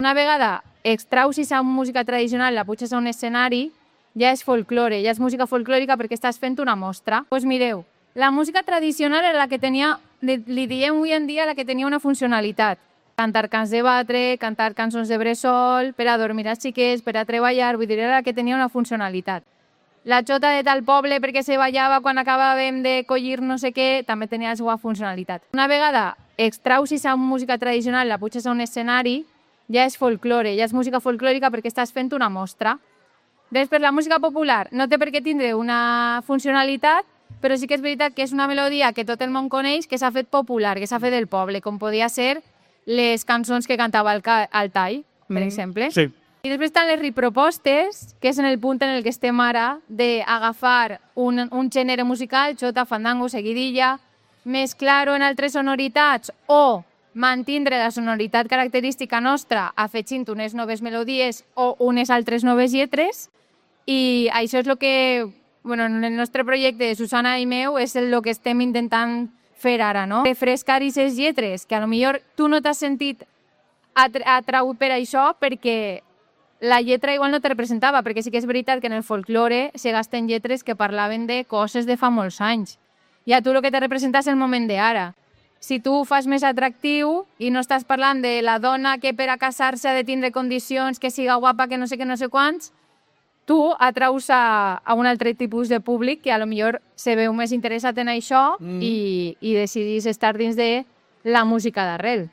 Una vegada extrausis a música tradicional, la puges a un escenari, ja és folklore, ja és música folclòrica perquè estàs fent una mostra. Doncs mireu, la música tradicional era la que tenia, li diem avui en dia, la que tenia una funcionalitat. Cantar cants de batre, cantar cançons de bressol, per a dormir els xiquets, per a treballar, vull dir, era la que tenia una funcionalitat. La xota de tal poble perquè se ballava quan acabàvem de collir no sé què, també tenia la seva funcionalitat. Una vegada extrausis a música tradicional, la puges a un escenari, ja és folklore, ja és música folclòrica perquè estàs fent una mostra. Després, la música popular no té per què tindre una funcionalitat, però sí que és veritat que és una melodia que tot el món coneix, que s'ha fet popular, que s'ha fet del poble, com podia ser les cançons que cantava el Tall, per exemple. Sí. I després estan les ripropostes, que és en el punt en el que estem ara, d'agafar un gènere musical, xota, fandango, seguidilla, mesclar-ho en altres sonoritats o mantindre la sonoritat característica nostra afegint unes noves melodies o unes altres noves lletres. I això és el que, en el nostre projecte de Susana i meu, és el que estem intentant fer ara, no? Refrescar aquestes lletres, que a lo millor tu no t'has sentit atraut per això perquè la lletra igual no te representava, perquè sí que és veritat que en el folklore se gasten lletres que parlaven de coses de fa molts anys. I a tu el que te representa és el moment d'ara. Si tu ho fas més atractiu i no estàs parlant de la dona que per a casar-se ha de tindre condicions, que siga guapa, que no sé què, no sé quants, tu atraus a un altre tipus de públic que a lo millor se veu més interessat en això i decidís estar dins de la música d'arrel.